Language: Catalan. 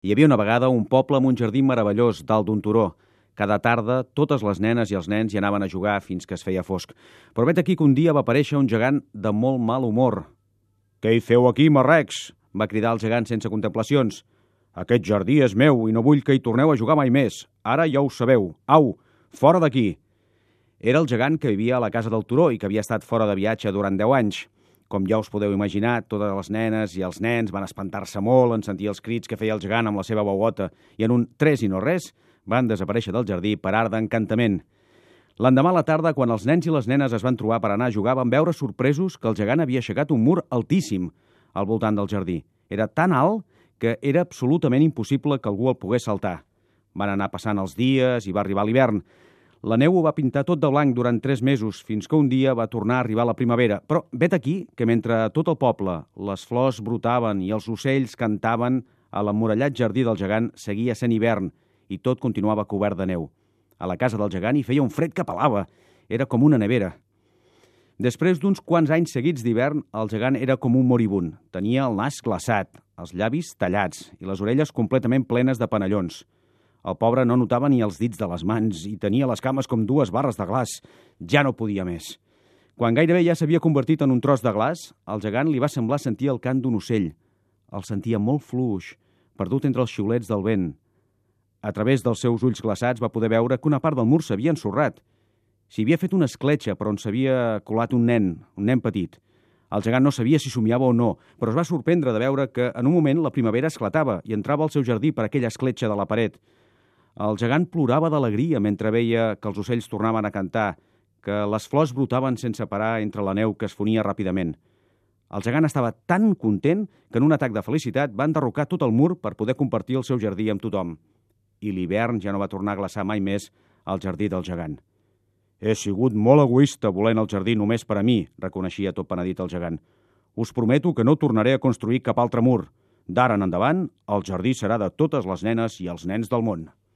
Hi havia una vegada un poble amb un jardí meravellós dalt d'un turó. Cada tarda, totes les nenes i els nens hi anaven a jugar fins que es feia fosc. Però vet aquí que un dia va aparèixer un gegant de molt mal humor. «Què hi feu aquí, marrecs?», va cridar el gegant sense contemplacions. «Aquest jardí és meu i no vull que hi torneu a jugar mai més. Ara ja ho sabeu. Au, fora d'aquí!» Era el gegant que vivia a la casa del turó i que havia estat fora de viatge durant 10 anys. Com ja us podeu imaginar, totes les nenes i els nens van espantar-se molt en sentir els crits que feia el gegant amb la seva veuota i en un tres i no res van desaparèixer del jardí per art d'encantament. L'endemà a la tarda, quan els nens i les nenes es van trobar per anar a jugar, van veure sorpresos que el gegant havia aixecat un mur altíssim al voltant del jardí. Era tan alt que era absolutament impossible que algú el pogués saltar. Van anar passant els dies i va arribar l'hivern. La neu ho va pintar tot de blanc durant 3 mesos, fins que un dia va tornar a arribar la primavera. Però vet aquí que mentre a tot el poble les flors brotaven i els ocells cantaven, a l'emmurallat jardí del gegant seguia sent hivern i tot continuava cobert de neu. A la casa del gegant hi feia un fred que pelava. Era com una nevera. Després d'uns quants anys seguits d'hivern, el gegant era com un moribund. Tenia el nas glaçat, els llavis tallats i les orelles completament plenes de panellons. El pobre no notava ni els dits de les mans i tenia les cames com 2 barres de glaç. Ja no podia més. Quan gairebé ja s'havia convertit en un tros de glaç, al gegant li va semblar sentir el cant d'un ocell. El sentia molt fluix, perdut entre els xiulets del vent. A través dels seus ulls glaçats va poder veure que una part del mur s'havia ensorrat. S'hi havia fet una escletxa per on s'havia colat un nen petit. El gegant no sabia si somiava o no, però es va sorprendre de veure que en un moment la primavera esclatava i entrava al seu jardí per aquella escletxa de la paret. El gegant plorava d'alegria mentre veia que els ocells tornaven a cantar, que les flors brotaven sense parar entre la neu que es fonia ràpidament. El gegant estava tan content que en un atac de felicitat va enderrocar tot el mur per poder compartir el seu jardí amb tothom. I l'hivern ja no va tornar a glaçar mai més al jardí del gegant. «He sigut molt egoista volent el jardí només per a mi», reconeixia tot penedit el gegant. «Us prometo que no tornaré a construir cap altre mur. D'ara en endavant, el jardí serà de totes les nenes i els nens del món».